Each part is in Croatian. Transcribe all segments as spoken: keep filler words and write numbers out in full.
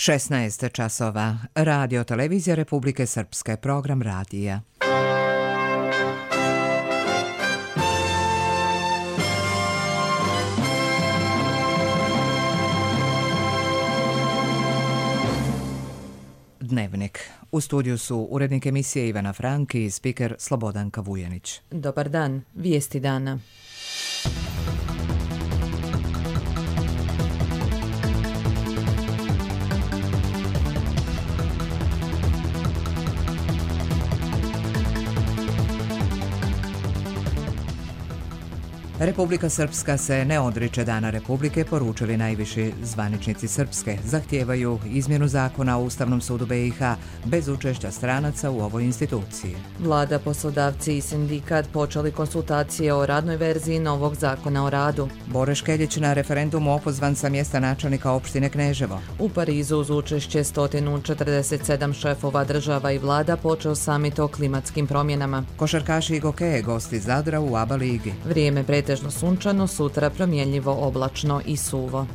šesnaest časova. Radio Televizija Republike Srpske, program radija. Dnevnik. U studiju su urednik emisije Ivana Frank i spiker Slobodanka Vujanić. Dobar dan, vijesti dana. Republika Srpska se ne odriče Dana Republike, poručili najviši zvaničnici Srpske. Zahtijevaju izmjenu zakona o Ustavnom sudu B i H bez učešća stranaca u ovoj instituciji. Vlada, poslodavci i sindikat počeli konsultacije o radnoj verziji novog zakona o radu. Bore Škeljić na referendumu opozvan sa mjesta načelnika opštine Kneževo. U Parizu uz učešće sto četrdeset sedam šefova država i vlada počeo samit o klimatskim promjenama. Košarkaši Gokeje gosti Zadra u ABA ligi. Vrijeme pretežno sunčano, sutra promjenljivo oblačno i suvo.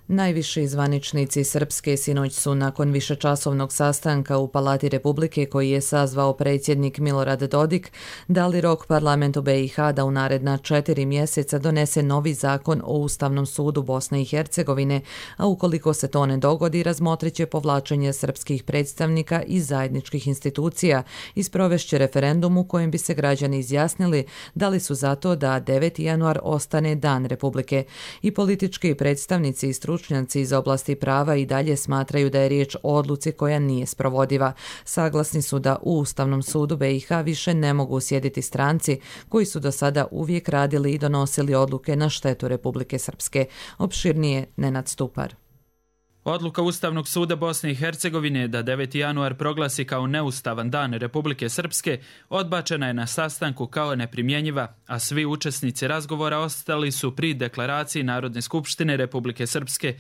Najviši zvaničnici Srpske sinoć su nakon višečasovnog sastanka u Palati Republike koji je sazvao predsjednik Milorad Dodik dali rok parlamentu B i H da u naredna četiri mjeseca donese novi zakon o Ustavnom sudu Bosne i Hercegovine, a ukoliko se to ne dogodi, razmotrit će povlačenje srpskih predstavnika iz zajedničkih institucija i sprovešće referendum u kojem bi se građani izjasnili da li su za to da deveti januar ostane Dan Republike. I politički predstavnici i stručnjaci iz oblasti prava i dalje smatraju da je riječ o odluci koja nije sprovodiva. Saglasni su da u Ustavnom sudu B i H više ne mogu sjediti stranci koji su do sada uvijek radili i donosili odluke na štetu Republike Srpske. Opširnije Nenad Stupar. Odluka Ustavnog suda Bosne i Hercegovine da deveti januar proglasi kao neustavan Dan Republike Srpske odbačena je na sastanku kao neprimjenjiva, a svi učesnici razgovora ostali su pri deklaraciji Narodne skupštine Republike Srpske.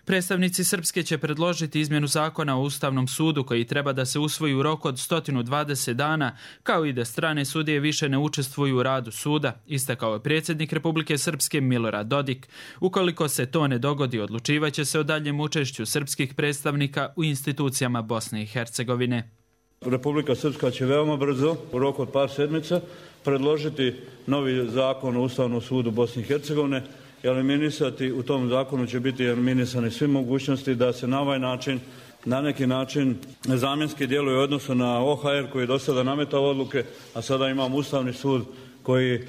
Predstavnici Srpske će predložiti izmjenu zakona o Ustavnom sudu koji treba da se usvoji u roku od sto dvadeset dana, kao i da strane sudije više ne učestvuju u radu suda, istakao je predsjednik Republike Srpske Milorad Dodik. Ukoliko se to ne dogodi, odlučivaće se o daljem učešću srpskih predstavnika u institucijama Bosne i Hercegovine. Republika Srpska će veoma brzo, u roku od par sedmica, predložiti novi zakon o Ustavnom sudu Bosne i Hercegovine. Eliminisati, u tom zakonu će biti eliminisane sve mogućnosti da se na ovaj način, na neki način zamjenski djeluje u odnosu na O H R koji je do sada nametao odluke, a sada imamo Ustavni sud koji e,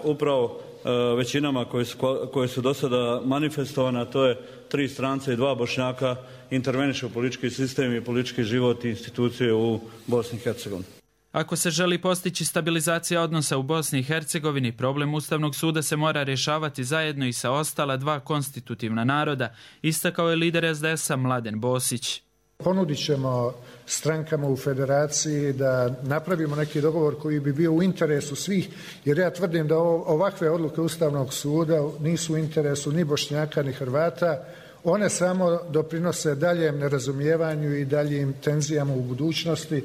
upravo e, većinama koje su, koje su do sada manifestovane, a to je tri stranca i dva Bošnjaka, interveniše u politički sistem i politički život i institucije u Bosni i Hercegovini. Ako se želi postići stabilizacija odnosa u Bosni i Hercegovini, problem Ustavnog suda se mora rješavati zajedno i sa ostala dva konstitutivna naroda, istakao je lider S D S-a Mladen Bosić. Ponudit ćemo strankama u federaciji da napravimo neki dogovor koji bi bio u interesu svih, jer ja tvrdim da ovakve odluke Ustavnog suda nisu u interesu ni Bošnjaka ni Hrvata. One samo doprinose daljem nerazumijevanju i daljim tenzijama u budućnosti.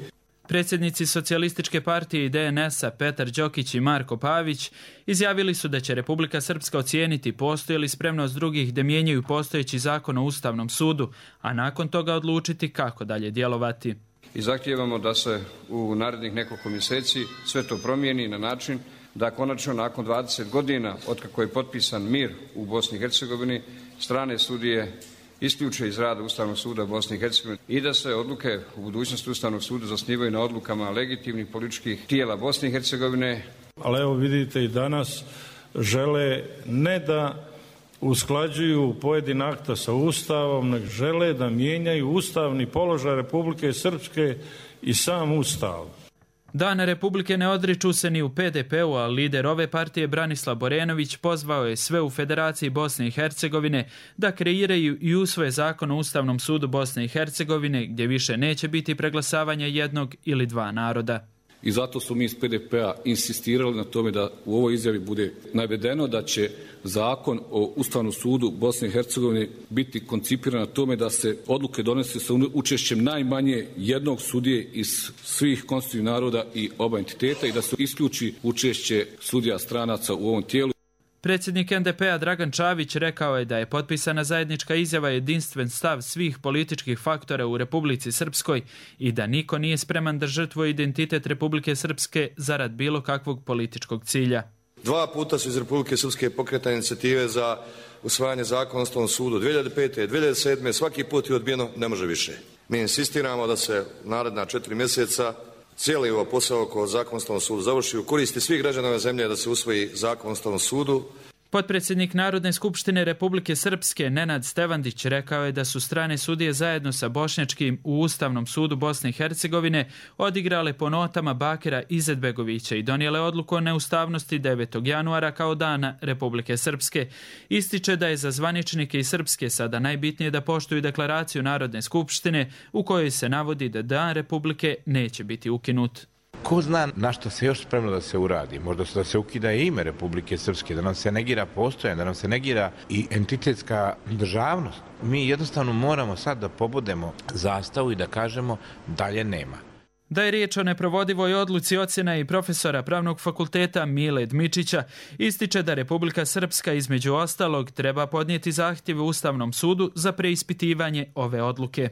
Predsjednici Socijalističke partije i D N S-a Petar Đokić i Marko Pavić izjavili su da će Republika Srpska ocijeniti postoji li spremnost drugih da mijenjaju postojeći zakon o Ustavnom sudu, a nakon toga odlučiti kako dalje djelovati. I zahtijevamo da se u narednih nekoliko mjeseci sve to promijeni na način da konačno nakon dvadeset godina otkako je potpisan mir u Bosni i Hercegovini, strane sudije isključe iz rada Ustavnog suda Bosne i Hercegovine i da se odluke u budućnosti Ustavnog suda zasnivaju na odlukama legitimnih političkih tijela Bosne i Hercegovine. Ali evo vidite i danas žele ne da usklađuju pojedina akta sa Ustavom, nego žele da mijenjaju ustavni položaj Republike Srpske i sam Ustav. Dana Republike ne odriču se ni u P D P-u, a lider ove partije Branislav Borenović pozvao je sve u Federaciji Bosne i Hercegovine da kreiraju i usvoje zakon o Ustavnom sudu Bosne i Hercegovine gdje više neće biti preglasavanja jednog ili dva naroda. I zato su mi iz P D P-a insistirali na tome da u ovoj izjavi bude navedeno da će zakon o Ustavnom sudu Bosne i Hercegovine biti koncipiran na tome da se odluke donese sa učešćem najmanje jednog sudije iz svih konstitutivnih naroda i oba entiteta i da se isključi učešće sudija stranaca u ovom tijelu. Predsjednik en de pe a Dragan Čavić rekao je da je potpisana zajednička izjava jedinstven stav svih političkih faktora u Republici Srpskoj i da niko nije spreman da žrtvuje identitet Republike Srpske zarad bilo kakvog političkog cilja. Dva puta su iz Republike Srpske pokretane inicijative za usvajanje zakona o Ustavnom sudu. dvije hiljade pete. dvije hiljade sedme. svaki put je odbijeno, ne može više. Mi insistiramo da se naredna četiri mjeseca cijeli ovo posao oko zakona o Ustavnom sudu završi u koristi svih građana ove zemlje da se usvoji zakon o Ustavnom sudu. Potpredsjednik Narodne skupštine Republike Srpske Nenad Stevandić rekao je da su strane sudije zajedno sa bošnjačkim u Ustavnom sudu Bosne i Hercegovine odigrale po notama Bakira Izetbegovića i donijele odluku o neustavnosti devetog januara kao dana Republike Srpske. Ističe da je za zvaničnike iz Srpske sada najbitnije da poštuju deklaraciju Narodne skupštine u kojoj se navodi da dan Republike neće biti ukinut. Ko zna na što se još spremno da se uradi? Možda da se ukida ime Republike Srpske, da nam se negira postojanje, da nam se negira i entitetska državnost. Mi jednostavno moramo sad da pobudemo zastavu i da kažemo dalje nema. Da je riječ o neprovodivoj odluci, ocjena i profesora Pravnog fakulteta Mile Dmičića ističe da Republika Srpska između ostalog treba podnijeti zahtjeve Ustavnom sudu za preispitivanje ove odluke.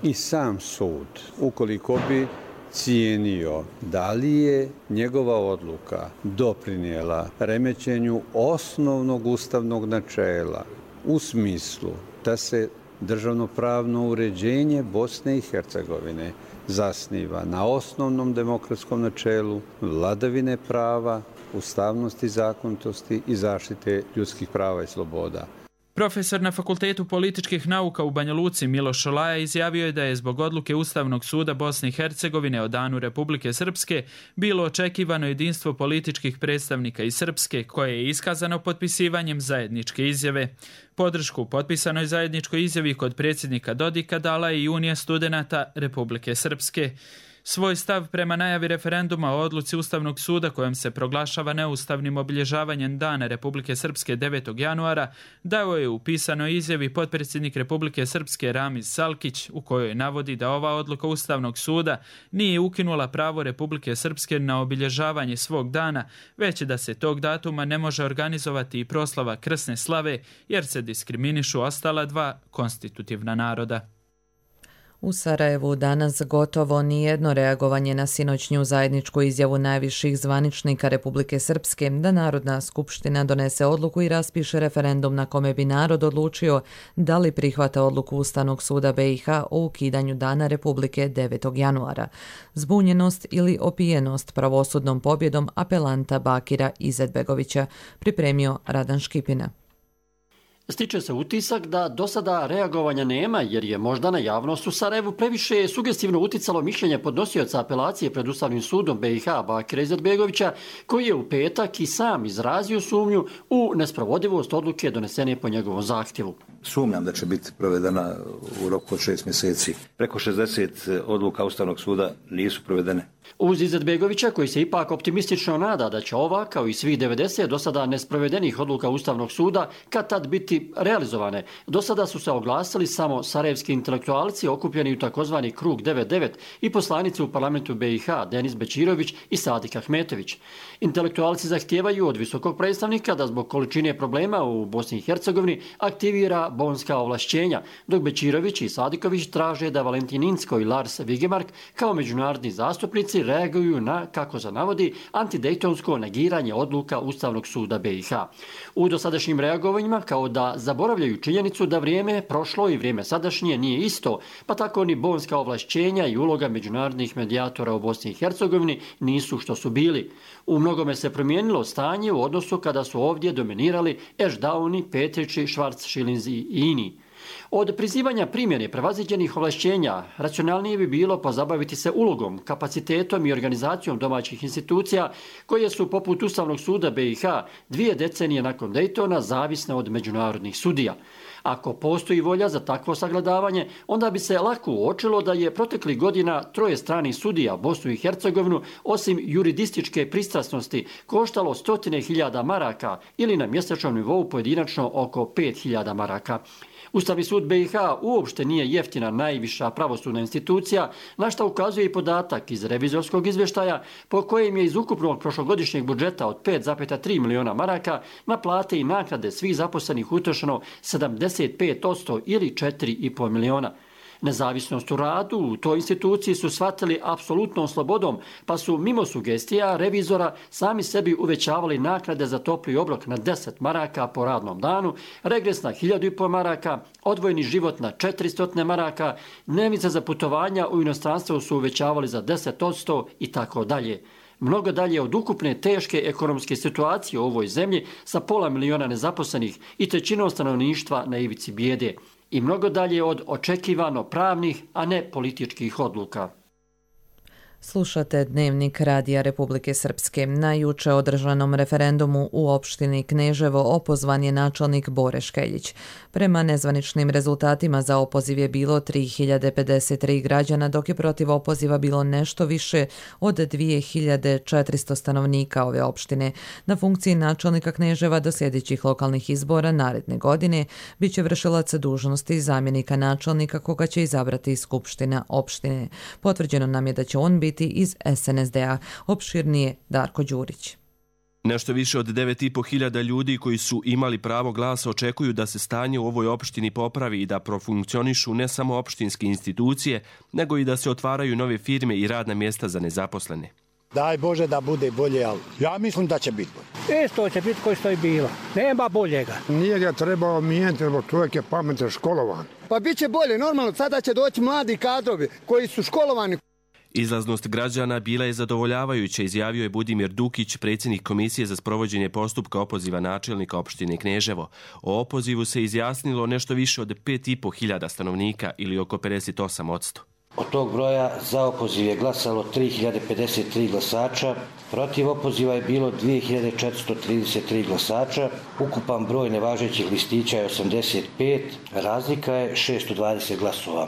I sam sud, ukoliko bi cijenio da li je njegova odluka doprinijela remećenju osnovnog ustavnog načela u smislu da se državnopravno uređenje Bosne i Hercegovine zasniva na osnovnom demokratskom načelu vladavine prava, ustavnosti, zakonitosti i zaštite ljudskih prava i sloboda. Profesor na Fakultetu političkih nauka u Banja Luci Miloš Šolaja izjavio je da je zbog odluke Ustavnog suda Bosne i Hercegovine o danu Republike Srpske bilo očekivano jedinstvo političkih predstavnika iz Srpske koje je iskazano potpisivanjem zajedničke izjave. Podršku potpisanoj zajedničkoj izjavi kod predsjednika Dodika dala je i Unija studenata Republike Srpske. Svoj stav prema najavi referenduma o odluci Ustavnog suda kojom se proglašava neustavnim obilježavanjem dana Republike Srpske devetog januara dao je u pisanoj izjavi potpredsjednik Republike Srpske Ramiz Salkić u kojoj navodi da ova odluka Ustavnog suda nije ukinula pravo Republike Srpske na obilježavanje svog dana, već da se tog datuma ne može organizovati i proslava krsne slave jer se diskriminišu ostala dva konstitutivna naroda. U Sarajevu danas gotovo nijedno reagovanje na sinoćnju zajedničku izjavu najviših zvaničnika Republike Srpske da Narodna skupština donese odluku i raspiše referendum na kome bi narod odlučio da li prihvata odluku Ustavnog suda be i ha o ukidanju dana Republike devetog januara. Zbunjenost ili opijenost pravosudnom pobjedom apelanta Bakira Izetbegovića, pripremio Radan Škipina. Stiče se utisak da do sada reagovanja nema jer je možda na javnost u Sarajevu previše sugestivno uticalo mišljenje podnosioca apelacije pred Ustavnim sudom be i ha Bakira Izetbegovića koji je u petak i sam izrazio sumnju u nesprovodivost odluke donesene po njegovom zahtjevu. Sumnjam da će biti provedena u roku od šest mjeseci. Preko šezdeset odluka Ustavnog suda nisu provedene. Uz Izetbegovića koji se ipak optimistično nada da će ova, kao i svih devedeset do sada nesprovedenih odluka Ustavnog suda, kad tad biti realizovane. Do sada su se oglasili samo sarajevski intelektualci okupljeni u takozvani krug devedeset devet i poslanici u parlamentu be i ha Denis Bećirović i Sadik Ahmetović. Intelektualci zahtijevaju od visokog predstavnika da zbog količine problema u Bosni i Hercegovini aktivira bonska ovlašćenja, dok Bećirović i Sadiković traže da Valentin Inzko i Lars Vigemark kao međunarodni zastupnici reaguju na, kako se navodi, antidejtonsko negiranje odluka Ustavnog suda be i ha. U dosadašnjim reagovanjima kao da zaboravljaju činjenicu da vrijeme prošlo i vrijeme sadašnje nije isto, pa tako ni bonska ovlašćenja i uloga međunarodnih medijatora u Bosni i Hercegovini nisu što su bili. U mnogome se promijenilo stanje u odnosu kada su ovdje dominirali Ešdauni, Petrići, Švarc, Šilinzi i Ini. Od prizivanja primjene prevaziđenih ovlašćenja racionalnije bi bilo pozabaviti se ulogom, kapacitetom i organizacijom domaćih institucija koje su poput Ustavnog suda be i ha dvije decenije nakon Dejtona zavisne od međunarodnih sudija. Ako postoji volja za takvo sagledavanje, onda bi se lako uočilo da je proteklih godina troje stranih sudija Bosnu i Hercegovinu osim juridističke pristrasnosti koštalo stotine hiljada maraka ili na mjesečnom nivou pojedinačno oko pet hiljada maraka. Ustavni sud B i H uopšte nije jeftina najviša pravosudna institucija, na što ukazuje i podatak iz revizorskog izvještaja po kojem je iz ukupnog prošlogodišnjeg budžeta od pet zarez tri miliona maraka na plate i naknade svih zaposlenih utrošeno sedamdeset pet posto ili četiri i po miliona. Nezavisnost u radu u toj instituciji su shvatili apsolutnom slobodom, pa su mimo sugestija revizora sami sebi uvećavali naknade za topli obrok na deset maraka po radnom danu, regres na hiljadu i po maraka, odvojeni život na četiristo maraka, dnevnice za putovanja u inostranstvo su uvećavali za deset posto i tako dalje. Mnogo dalje od ukupne teške ekonomske situacije u ovoj zemlji sa pola miliona nezaposlenih i trećinom stanovništva na ivici bijede. I mnogo dalje od očekivano pravnih, a ne političkih odluka. Slušate Dnevnik Radija Republike Srpske. Na juče održanom referendumu u opštini Kneževo opozvan je načelnik Bore Škeljić. Prema nezvaničnim rezultatima za opoziv je bilo tri hiljade pedeset tri građana, dok je protiv opoziva bilo nešto više od dvije hiljade četiristo stanovnika ove opštine. Na funkciji načelnika Kneževa do sljedećih lokalnih izbora naredne godine biće vršilac dužnosti zamjenika načelnika koga će izabrati Skupština opštine. Potvrđeno nam je da će on biti iz S N S D-a. Opširnije Darko Đurić. Nešto više od devet i po hiljada ljudi koji su imali pravo glasa očekuju da se stanje u ovoj opštini popravi i da profunkcionišu ne samo opštinske institucije, nego i da se otvaraju nove firme i radna mjesta za nezaposlene. Daj Bože da bude bolje, ali ja mislim da će biti bolje. Isto će biti koji što je bilo. Nema boljega. Nije ga trebao mijenjati, jer čovjek je pametan, školovan. Pa bit će bolje, normalno. Sada će doći mladi kadrovi koji su školovani. Izlaznost građana bila je zadovoljavajuća, izjavio je Budimir Dukić, predsjednik Komisije za sprovođenje postupka opoziva načelnika opštine Kneževo. O opozivu se izjasnilo nešto više od pet i po hiljada stanovnika ili oko pedeset osam posto. Od tog broja za opoziv je glasalo tri hiljade pedeset tri glasača, protiv opoziva je bilo dvije hiljade četiristo trideset tri glasača, ukupan broj nevažećih listića je osamdeset pet, razlika je šesto dvadeset glasova.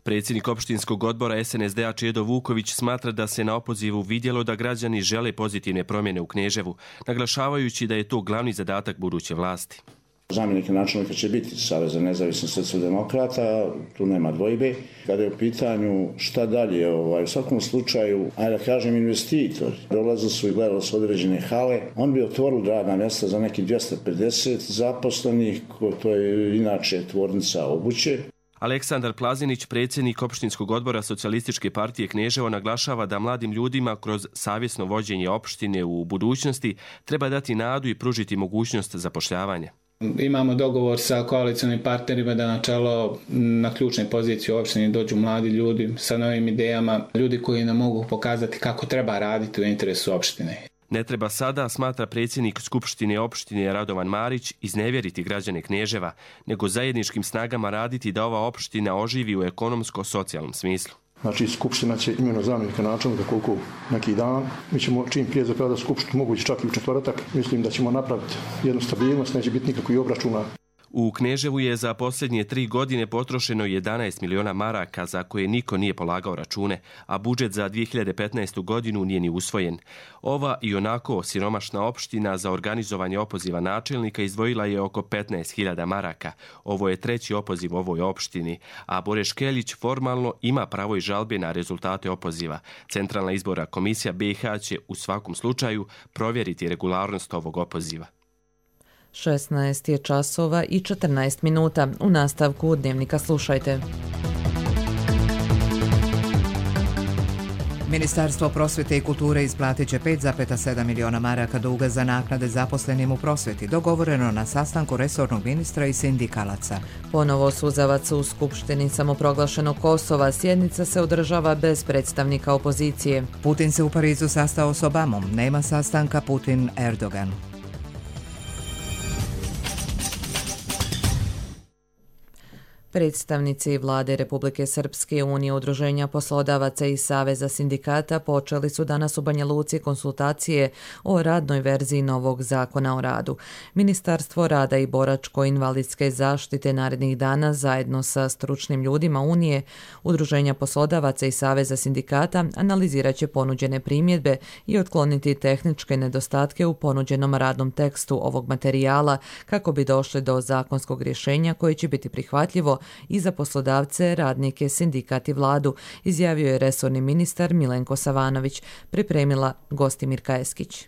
Predsjednik opštinskog odbora S N S D-a Čedo Vuković smatra da se na opozivu vidjelo da građani žele pozitivne promjene u Kneževu, naglašavajući da je to glavni zadatak buduće vlasti. Zamjenik načelnika će biti Saveza nezavisnih socijaldemokrata, tu nema dvojbe. Kada je u pitanju šta dalje, ovaj, u svakom slučaju, ajde da kažem, investitor, dolazili su i gledali su određene hale, on bi otvorili radna mjesta za neki dvjesto pedeset zaposlenih, to je inače tvornica obuće. Aleksandar Plazinić, predsjednik opštinskog odbora Socijalističke partije Kneževo, naglašava da mladim ljudima kroz savjesno vođenje opštine u budućnosti treba dati nadu i pružiti mogućnost zapošljavanja. Imamo dogovor sa koalicionim partnerima da na čelo na ključne pozicije u opštini dođu mladi ljudi sa novim idejama, ljudi koji nam mogu pokazati kako treba raditi u interesu opštine. Ne treba sada, smatra predsjednik Skupštine opštine Radovan Marić, iznevjeriti građane Kneževa, nego zajedničkim snagama raditi da ova opština oživi u ekonomsko-socijalnom smislu. Znači, Skupština će imenovati zamjenika načelnika koliko neki dan. Mi ćemo čim prije zapraviti Skupštinu, moguće čak i u četvrtak. Mislim da ćemo napraviti jednu stabilnost, neće biti nikakvih obračuna. U Kneževu je za posljednje tri godine potrošeno jedanaest miliona maraka za koje niko nije polagao račune, a budžet za dvije hiljade petnaestu. godinu nije ni usvojen. Ova i onako siromašna opština za organizovanje opoziva načelnika izdvojila je oko petnaest hiljada maraka. Ovo je treći opoziv u ovoj opštini, a Bore Škeljić formalno ima pravo i žalbe na rezultate opoziva. Centralna izborna komisija B i H će u svakom slučaju provjeriti regularnost ovog opoziva. šesnaest je časova i četrnaest minuta. U nastavku Dnevnika slušajte. Ministarstvo prosvjete i kulture isplatit će pet zarez sedam miliona maraka duga za naknade zaposlenim u prosvjeti, dogovoreno na sastanku resornog ministra i sindikalaca. Ponovo suzavac u Skupštini samoproglašenog Kosova. Sjednica se održava bez predstavnika opozicije. Putin se u Parizu sastao s Obamom. Nema sastanka Putin-Erdogan. Predstavnici Vlade Republike Srpske, Unije udruženja poslodavaca i Saveza sindikata počeli su danas u Banja Luci konsultacije o radnoj verziji novog zakona o radu. Ministarstvo rada i boračko-invalidske zaštite narednih dana zajedno sa stručnim ljudima Unije, udruženja poslodavaca i Saveza sindikata analizirat će ponuđene primjedbe i otkloniti tehničke nedostatke u ponuđenom radnom tekstu ovog materijala kako bi došli do zakonskog rješenja koje će biti prihvatljivo i za poslodavce, radnike, sindikat i vladu, izjavio je resorni ministar Milenko Savanović, pripremila Gostimirka Eskić.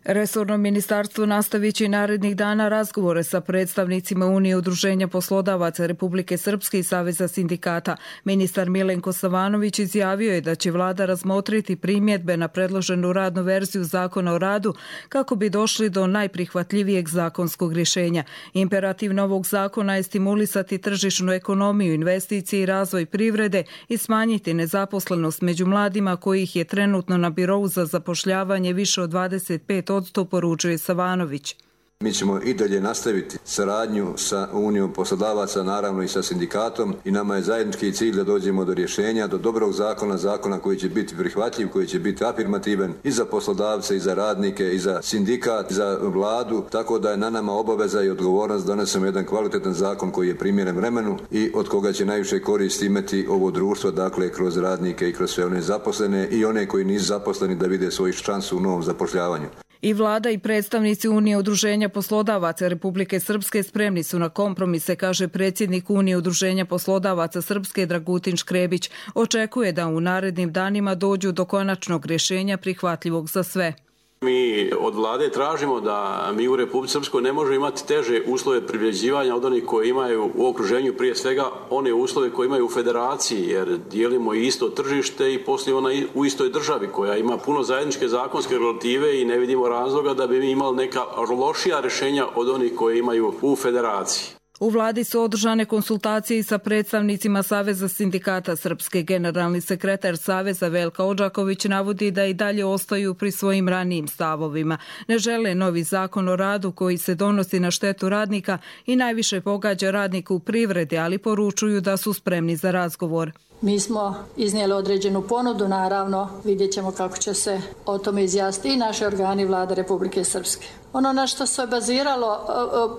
Resorno ministarstvo nastavit će narednih dana razgovore sa predstavnicima Unije udruženja poslodavaca Republike Srpske i Saveza sindikata. Ministar Milenko Savanović izjavio je da će vlada razmotriti primjedbe na predloženu radnu verziju zakona o radu kako bi došli do najprihvatljivijeg zakonskog rješenja. Imperativ novog zakona je stimulisati tržišnu ekonomiju, investicije i razvoj privrede i smanjiti nezaposlenost među mladima kojih je trenutno na birou za zapošljavanje više od dvadeset pet posto, poručuje Savanović. Mi ćemo i dalje nastaviti saradnju sa Unijom poslodavaca, naravno i sa sindikatom, i nama je zajednički cilj da dođemo do rješenja, do dobrog zakona, zakona koji će biti prihvatljiv, koji će biti afirmativan i za poslodavce, i za radnike, i za sindikat, i za vladu, tako da je na nama obaveza i odgovornost da donesemo jedan kvalitetan zakon koji je primjeren vremenu i od koga će najviše koristi imati ovo društvo, dakle kroz radnike i kroz sve one zaposlene i one koji nisu zaposleni da vide svoju šansu u novom zapošljavanju. I vlada i predstavnici Unije udruženja poslodavaca Republike Srpske spremni su na kompromise, kaže predsjednik Unije udruženja poslodavaca Srpske Dragutin Škrebić. Očekuje da u narednim danima dođu do konačnog rješenja prihvatljivog za sve. Mi od vlade tražimo da mi u Republici Srpskoj ne možemo imati teže uslove privređivanja od onih koji imaju u okruženju, prije svega one uslove koje imaju u federaciji, jer dijelimo isto tržište i poslije ona u istoj državi koja ima puno zajedničke zakonske regulative i ne vidimo razloga da bi mi imali neka lošija rješenja od onih koje imaju u federaciji. U vladi su održane konsultacije sa predstavnicima Saveza sindikata Srpske. Generalni sekretar Saveza Velka Odžaković navodi da i dalje ostaju pri svojim ranijim stavovima. Ne žele novi zakon o radu koji se donosi na štetu radnika i najviše pogađa radnika u privredi, ali poručuju da su spremni za razgovor. Mi smo iznijeli određenu ponudu, naravno vidjet ćemo kako će se o tome izjasniti i naši organi vlade Republike Srpske. Ono na što se baziralo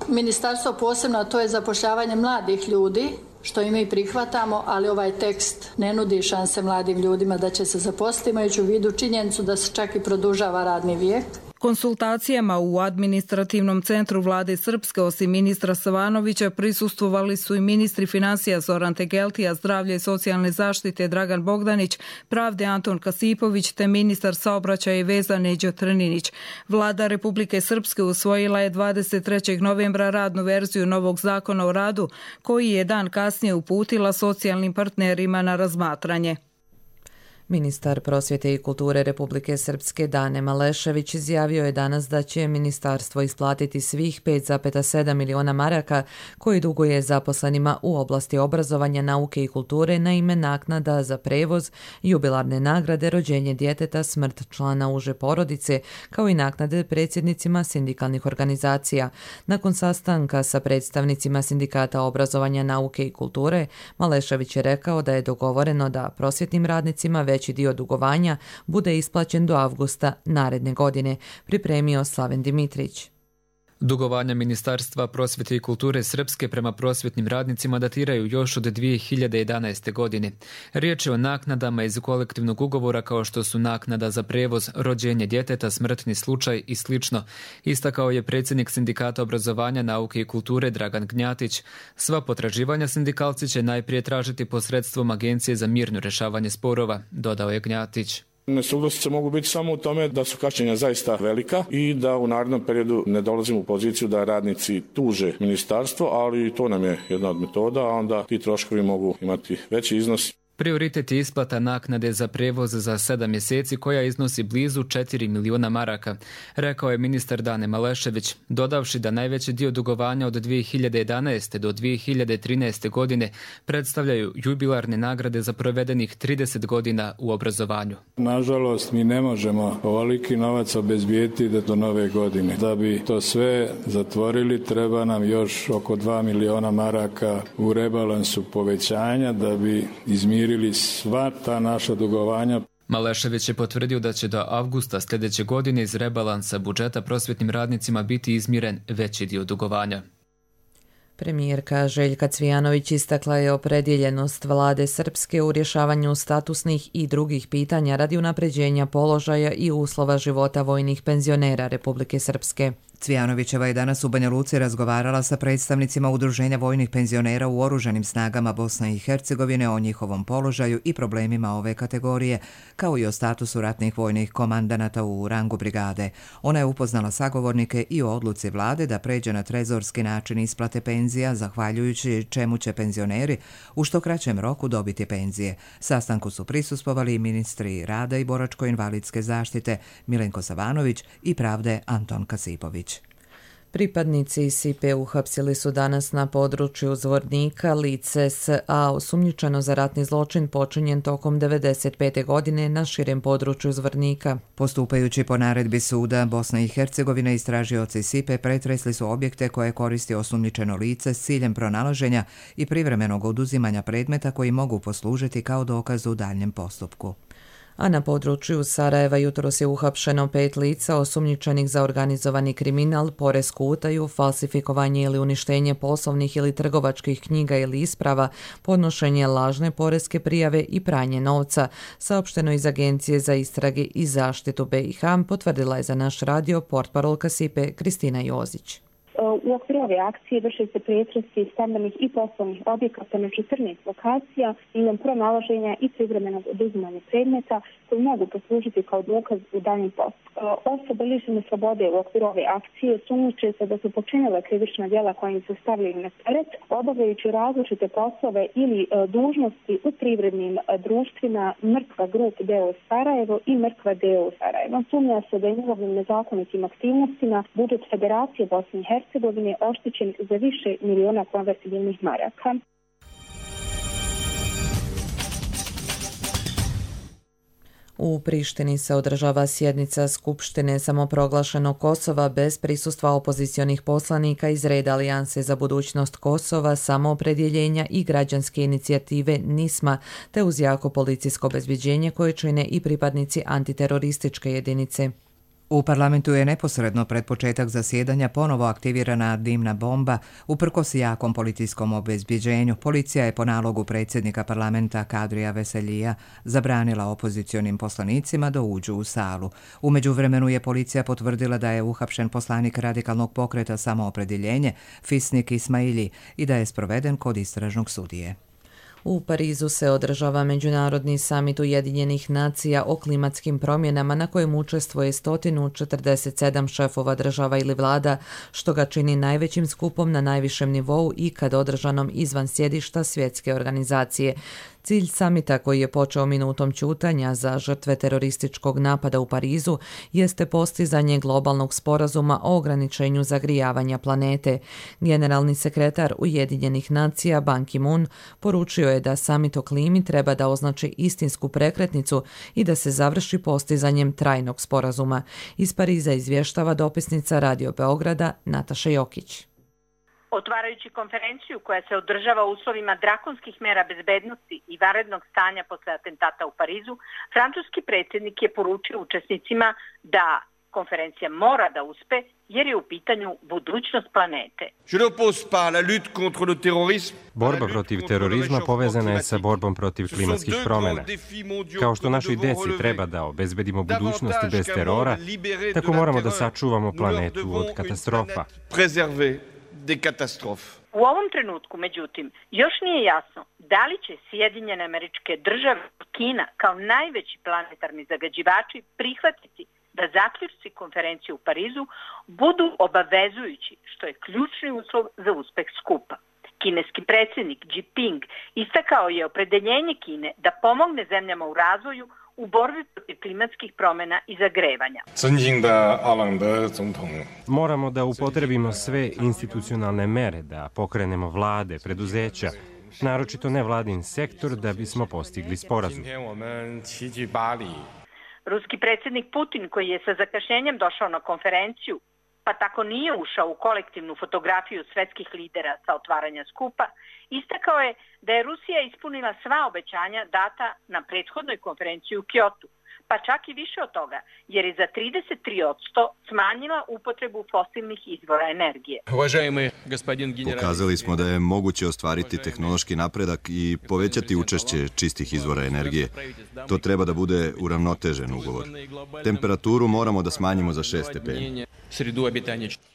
ministarstvo posebno, to je zapošljavanje mladih ljudi, što i mi prihvatamo, ali ovaj tekst ne nudi šanse mladim ljudima da će se zaposliti, imajući u vidu činjenicu da se čak i produžava radni vijek. Konsultacijama u administrativnom centru vlade Srpske osim ministra Savanovića prisustvovali su i ministri financija Zoran Tegeltija, zdravlja i socijalne zaštite Dragan Bogdanić, pravde Anton Kasipović te ministar saobraćaja i veza Neđo Trninić. Vlada Republike Srpske usvojila je dvadeset trećeg novembra radnu verziju novog zakona o radu koji je dan kasnije uputila socijalnim partnerima na razmatranje. Ministar prosvjete i kulture Republike Srpske Dane Malešević izjavio je danas da će ministarstvo isplatiti svih pet zarez sedam miliona maraka koji duguje zaposlenima u oblasti obrazovanja, nauke i kulture na ime naknada za prevoz, jubilarne nagrade, rođenje djeteta, smrt člana uže porodice, kao i naknade predsjednicima sindikalnih organizacija. Nakon sastanka sa predstavnicima sindikata obrazovanja, nauke i kulture, Malešević je rekao da je dogovoreno da prosvjetnim radnicima već veći dio dugovanja bude isplaćen do avgusta naredne godine, pripremio Slaven Dimitrić. Dugovanja Ministarstva prosvjete i kulture Srpske prema prosvjetnim radnicima datiraju još od dvije hiljade jedanaeste. godine. Riječ je o naknadama iz kolektivnog ugovora kao što su naknada za prevoz, rođenje djeteta, smrtni slučaj i slično. Istakao je predsjednik Sindikata obrazovanja, nauke i kulture Dragan Gnjatić. Sva potraživanja sindikalci će najprije tražiti posredstvom Agencije za mirno rješavanje sporova, dodao je Gnjatić. Nesuglasice mogu biti samo u tome da su kašnjenja zaista velika i da u narednom periodu ne dolazimo u poziciju da radnici tuže ministarstvo, ali to nam je jedna od metoda, a onda ti troškovi mogu imati veći iznos. Prioritet je isplata naknade za prevoz za sedam mjeseci koja iznosi blizu četiri miliona maraka, rekao je ministar Dane Malešević, dodavši da najveći dio dugovanja od dvije hiljade jedanaeste do dvije hiljade trinaeste godine predstavljaju jubilarne nagrade za provedenih trideset godina u obrazovanju. Nažalost, mi ne možemo ovoliki novac obezbijeti do nove godine. Da bi to sve zatvorili, treba nam još oko dva miliona maraka u rebalansu povećanja da bi izmirili ili sva ta naša dugovanja. Malešević je potvrdio da će do avgusta sljedeće godine iz rebalansa budžeta prosvjetnim radnicima biti izmiren veći dio dugovanja. Premijerka Željka Cvijanović istakla je opredjeljenost vlade Srpske u rješavanju statusnih i drugih pitanja radi unapređenja položaja i uslova života vojnih penzionera Republike Srpske. Cvijanovićeva je danas u Banja Luci razgovarala sa predstavnicima Udruženja vojnih penzionera u oružanim snagama Bosne i Hercegovine o njihovom položaju i problemima ove kategorije, kao i o statusu ratnih vojnih komandanata u rangu brigade. Ona je upoznala sagovornike i o odluci vlade da pređe na trezorski način isplate penzija, zahvaljujući čemu će penzioneri u što kraćem roku dobiti penzije. Sastanku su prisustvovali i ministri rada i boračko-invalidske zaštite Milenko Savanović i pravde Anton Kasipović. Pripadnici S I P-a uhapsili su danas na području Zvornika lice S A osumnjičeno za ratni zločin počinjen tokom devedeset pete godine na širem području Zvornika. Postupajući po naredbi suda, Bosna i Hercegovina istražioci S I P-a pretresli su objekte koje koristi osumnjičeno lice s ciljem pronalaženja i privremenog oduzimanja predmeta koji mogu poslužiti kao dokaz u daljnjem postupku. A na području Sarajeva jutros je uhapšeno pet lica osumnjičenih za organizovani kriminal, poresku utaju, falsifikovanje ili uništenje poslovnih ili trgovačkih knjiga ili isprava, podnošenje lažne poreske prijave i pranje novca, saopšteno iz Agencije za istrage i zaštitu B i H, potvrdila je za naš radio portparolka S I P-a Kristina Jozić. U okviru ove akcije vrše se pretresi stambenih i poslovnih objekata na četrnaest lokacija i pronalaženja i privremenog oduzimanja predmeta koji mogu poslužiti kao dokaz u daljnjem postupku. Osobe lišene slobode u okviru ove akcije sumnjiče se da su počinile krivična djela koja im su stavljeni na teret, obavljajući različite poslove ili dužnosti u privrednim društvima Mrkva Grup D O Sarajevo i Mrkva D O Sarajevo. Sumnja se da je njihovim nezakonitim aktivnostima budžet Federacije Bosne i Hercegovine oštećen za više miliona konvertibilnih maraka. U Prištini se održava sjednica Skupštine samoproglašenog Kosova bez prisustva opozicionih poslanika iz reda Alijanse za budućnost Kosova, samoopredjeljenja i građanske inicijative NISMA, te uz jako policijsko obezbeđenje koje čine i pripadnici antiterorističke jedinice. U parlamentu je neposredno pred početak zasjedanja ponovo aktivirana dimna bomba uprkos jakom policijskom obezbeđenju. Policija je po nalogu predsjednika parlamenta Kadrija Veseljija zabranila opozicionim poslanicima da uđu u salu. U međuvremenu je policija potvrdila da je uhapšen poslanik radikalnog pokreta Samoopredjeljenje Fisnik Ismaili i da je sproveden kod istražnog sudije. U Parizu se održava Međunarodni samit Ujedinjenih nacija o klimatskim promjenama na kojem učestvuje sto četrdeset sedam šefova država ili vlada, što ga čini najvećim skupom na najvišem nivou ikad održanom izvan sjedišta svjetske organizacije. Cilj samita, koji je počeo minutom ćutanja za žrtve terorističkog napada u Parizu, jeste postizanje globalnog sporazuma o ograničenju zagrijavanja planete. Generalni sekretar Ujedinjenih nacija Ban Ki-moon poručio je da samit o klimi treba da označi istinsku prekretnicu i da se završi postizanjem trajnog sporazuma. Iz Pariza izvještava dopisnica Radio Beograda Nataša Jokić. Otvarajući konferenciju koja se održava u uslovima drakonskih mera bezbednosti i vanrednog stanja posle atentata u Parizu, francuski predsjednik je poručio učesnicima da konferencija mora da uspe jer je u pitanju budućnost planete. Borba protiv terorizma povezana je sa borbom protiv klimatskih promjena. Kao što našoj deci treba da obezbedimo budućnost bez terora, tako moramo da sačuvamo planetu od katastrofa. U ovom trenutku, međutim, još nije jasno da li će Sjedinjene Američke Države i Kina kao najveći planetarni zagađivači prihvatiti da zaključci konferencije u Parizu budu obavezujući, što je ključni uslov za uspeh skupa. Kineski predsjednik Xi Jinping istakao je opredeljenje Kine da pomogne zemljama u razvoju u borbi protiv klimatskih promjena i zagrevanja. Moramo da upotrebimo sve institucionalne mere, da pokrenemo vlade, preduzeća, naročito nevladin sektor, da bismo postigli sporazum. Ruski predsjednik Putin, koji je sa zakašnjenjem došao na konferenciju, pa tako nije ušao u kolektivnu fotografiju svetskih lidera sa otvaranja skupa, istakao je da je Rusija ispunila sva obećanja data na prethodnoj konferenciji u Kyotu, pa čak i više od toga, jer je za trideset tri posto smanjila upotrebu fosilnih izvora energije. Pokazali smo da je moguće ostvariti tehnološki napredak i povećati učešće čistih izvora energije. To treba da bude uravnotežen ugovor. Temperaturu moramo da smanjimo za šest stepeni.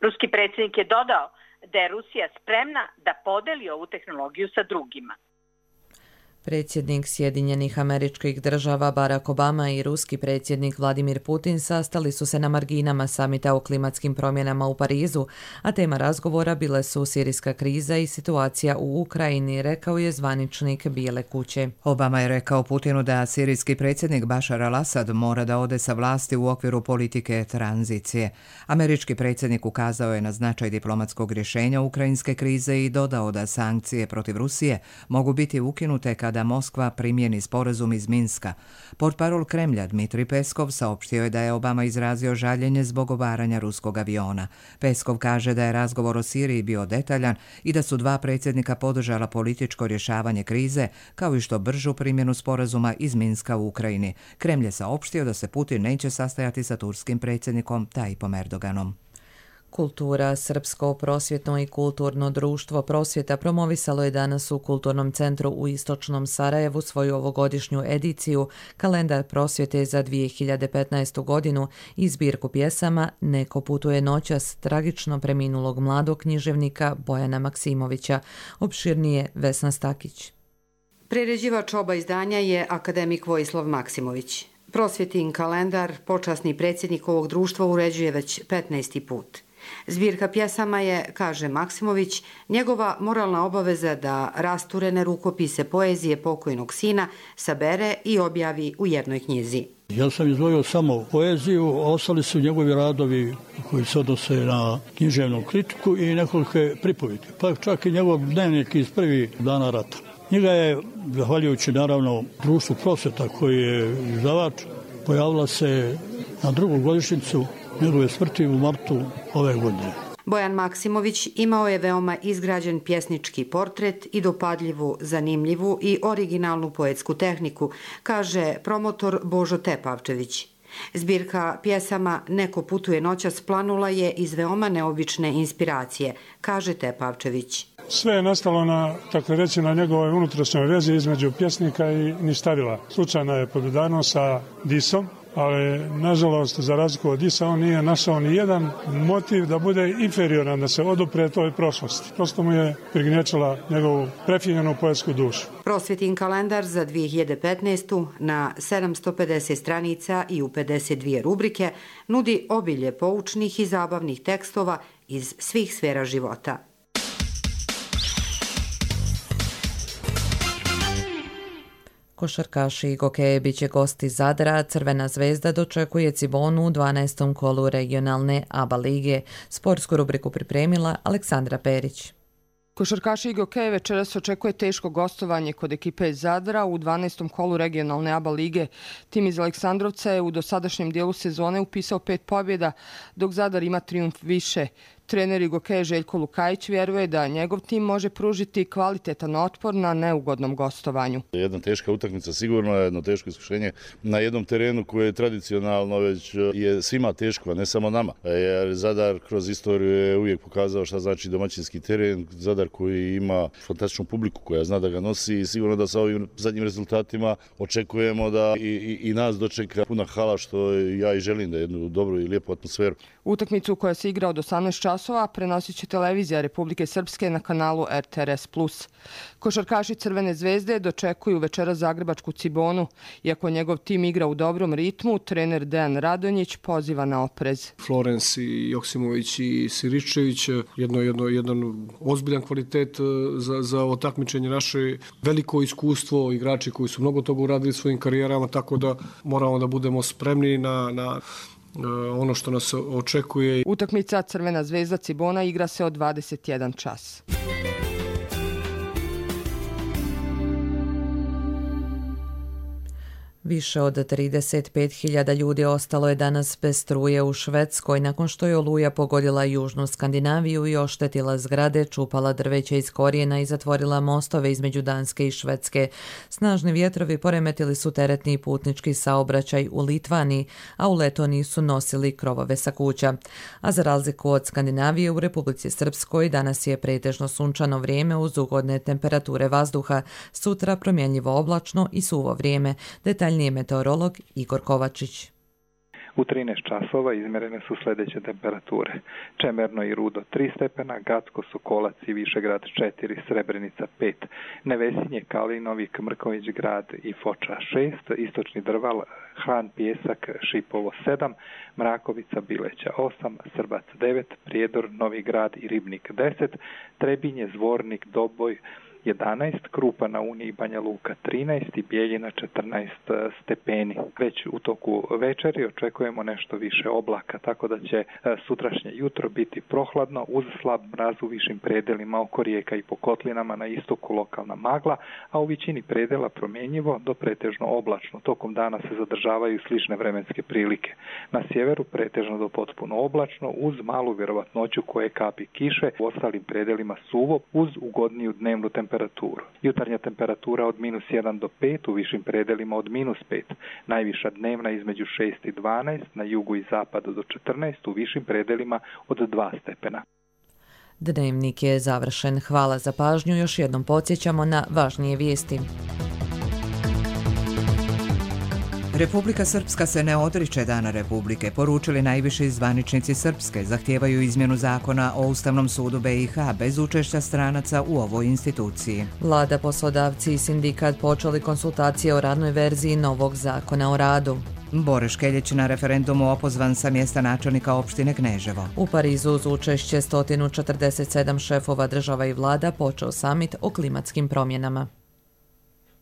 Ruski predsjednik je dodao da je Rusija spremna da podeli ovu tehnologiju sa drugima. Predsjednik Sjedinjenih Američkih Država Barack Obama i ruski predsjednik Vladimir Putin sastali su se na marginama samita o klimatskim promjenama u Parizu, a tema razgovora bile su sirijska kriza i situacija u Ukrajini, rekao je zvaničnik Bijele kuće. Obama je rekao Putinu da sirijski predsjednik Bashar al-Assad mora da ode sa vlasti u okviru politike tranzicije. Američki predsjednik ukazao je na značaj diplomatskog rješenja ukrajinske krize i dodao da sankcije protiv Rusije mogu biti ukinute kada da Moskva primjeni sporazum iz Minska. Portparol Kremlja Dmitrij Peskov saopštio je da je Obama izrazio žaljenje zbog obaranja ruskog aviona. Peskov kaže da je razgovor o Siriji bio detaljan i da su dva predsjednika podržala političko rješavanje krize, kao i što bržu primjenu sporazuma iz Minska u Ukrajini. Kremlj je saopštio da se Putin neće sastajati sa turskim predsjednikom Tajipom Erdoganom. Kultura, Srpsko prosvjetno i kulturno društvo Prosvjeta promovisalo je danas u Kulturnom centru u Istočnom Sarajevu svoju ovogodišnju ediciju Kalendar prosvjete za dvije hiljade petnaestu. godinu i zbirku pjesama Neko putuje noćas tragično preminulog mladog književnika Bojana Maksimovića. Opširnije Vesna Stakić. Priređivač oba izdanja je akademik Vojislav Maksimović. Prosvjetin kalendar počasni predsjednik ovog društva uređuje već petnaesti put. Zbirka pjesama je, kaže Maksimović, njegova moralna obaveza da rasturene rukopise poezije pokojnog sina sabere i objavi u jednoj knjizi. Ja sam izdvojio samo poeziju, a ostali su njegovi radovi koji se odnose na književnu kritiku i nekoliko pripovike, pa čak i njegov dnevnik iz prvih dana rata. Knjiga je, zahvaljujući naravno društvu Prosvjeta koji je izdavač, pojavila se na drugu godišnjicu njegove smrti u martu ove godine. Bojan Maksimović imao je veoma izgrađen pjesnički portret i dopadljivu, zanimljivu i originalnu poetsku tehniku, kaže promotor Božo Tepavčević. Zbirka pjesama Neko putuje noćas planula je iz veoma neobične inspiracije, kaže Tepavčević. Sve je nastalo na, tako reći, na njegovoj unutrašnjoj vezi između pjesnika i Nistavila. Slučajno je podudarno sa Disom, ali nažalost za razliku od Disa on nije našao ni jedan motiv da bude inferioran, da se odupre toj prošlosti. Prosto mu je prignječila njegovu prefinjenu poetsku dušu. Prosvjetin kalendar za dvije hiljade petnaestu. na sedamsto pedeset stranica i u pedeset dvije rubrike nudi obilje poučnih i zabavnih tekstova iz svih sfera života. Košarkaši i gokeje bit će gosti Zadra, Crvena zvezda dočekuje Cibonu u dvanaestom kolu regionalne A B A lige. Sportsku rubriku pripremila Aleksandra Perić. Košarkaši i gokeje večeras očekuje teško gostovanje kod ekipe iz Zadra u dvanaestom kolu regionalne A B A lige. Tim iz Aleksandrovca je u dosadašnjem dijelu sezone upisao pet pobjeda, dok Zadar ima trijumf više. Trener i gokeje Željko Lukajić vjeruje da njegov tim može pružiti kvalitetan otpor na neugodnom gostovanju. Jedna teška utakmica sigurno je jedno teško iskušenje na jednom terenu koje je tradicionalno već je svima teško, a ne samo nama. Jer Zadar kroz istoriju je uvijek pokazao šta znači domaćinski teren. Zadar koji ima fantastičnu publiku koja zna da ga nosi i sigurno da sa ovim zadnjim rezultatima očekujemo da i, i, i nas dočeka puna hala, što ja i želim, da jednu dobru i lijepu atmosferu. Utakmicu koja se igra od osamnaest časova časova prenosit će televizija Republike Srpske na kanalu R T R S plus. Košarkaši Crvene zvezde dočekuju večera zagrebačku Cibonu. Iako njegov tim igra u dobrom ritmu, trener Dejan Radonjić poziva na oprez. Florens i Joksimović i Siričević, jedno, jedno, jedan ozbiljan kvalitet za, za otakmičenje naše, veliko iskustvo, igrači koji su mnogo toga uradili svojim karijerama, tako da moramo da budemo spremni na, na ono što nas očekuje. Utakmica Crvena zvezda Cibona igra se od dvadeset jedan čas. Više od trideset pet hiljada ljudi ostalo je danas bez struje u Švedskoj nakon što je oluja pogodila južnu Skandinaviju i oštetila zgrade, čupala drveće iz korijena i zatvorila mostove između Danske i Švedske. Snažni vjetrovi poremetili su teretni i putnički saobraćaj u Litvaniji, a u Letoniji su nosili krovove sa kuća. A za razliku od Skandinavije, u Republici Srpskoj danas je pretežno sunčano vrijeme uz ugodne temperature vazduha, sutra promjenjivo oblačno i suvo vrijeme. Detalj Detaljnije meteorolog Igor Kovačić. U trinaest časova izmjerene su sljedeće temperature. Čemerno i Rudo tri stepena, Gacko, Sokolac i Višegrad četiri, Srebrenica pet, Nevesinje, Kalinovi, Mrković grad i Foča šest, Istočni Drval, Han, Pjesak, Šipovo sedam, Mrakovica, Bileća osam, Srbac devet, Prijedor, Novi grad i Ribnik deset, Trebinje, Zvornik, Doboj jedanaest, Krupa na Uni i Banja Luka trinaest i Bijeljina četrnaest stepeni. Već u toku večeri očekujemo nešto više oblaka, tako da će sutrašnje jutro biti prohladno uz slab mraz u višim predelima oko rijeka i po kotlinama, na istoku lokalna magla, a u većini predela promjenjivo do pretežno oblačno. Tokom dana se zadržavaju slične vremenske prilike. Na sjeveru pretežno do potpuno oblačno uz malu vjerovatnoću koje kapi kiše, u ostalim predelima suvo uz ugodniju dnevnu temperaturu. Jutarnja temperatura od minus jedan do pet, u višim predelima od minus pet. Najviša dnevna između šest i dvanaest, na jugu i zapadu do četrnaest, u višim predelima od dva stepena. Dnevnik je završen. Hvala za pažnju. Još jednom podsjećamo na važnije vijesti. Republika Srpska se ne odriče Dana Republike, poručili najviši zvaničnici Srpske, zahtijevaju izmjenu zakona o Ustavnom sudu B i H bez učešća stranaca u ovoj instituciji. Vlada, poslodavci i sindikat počeli konsultacije o radnoj verziji novog zakona o radu. Bore Škeljić na referendumu opozvan sa mjesta načelnika opštine Kneževo. U Parizu uz učešće sto četrdeset sedam šefova država i vlada počeo samit o klimatskim promjenama.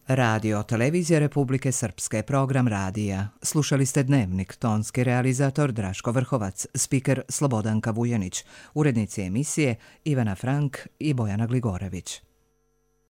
Radio Televizija Republike Srpske, program radija. Slušali ste Dnevnik, tonski realizator Draško Vrhovac, spiker Slobodanka Vujanić, urednici emisije Ivana Frank i Bojana Gligorević.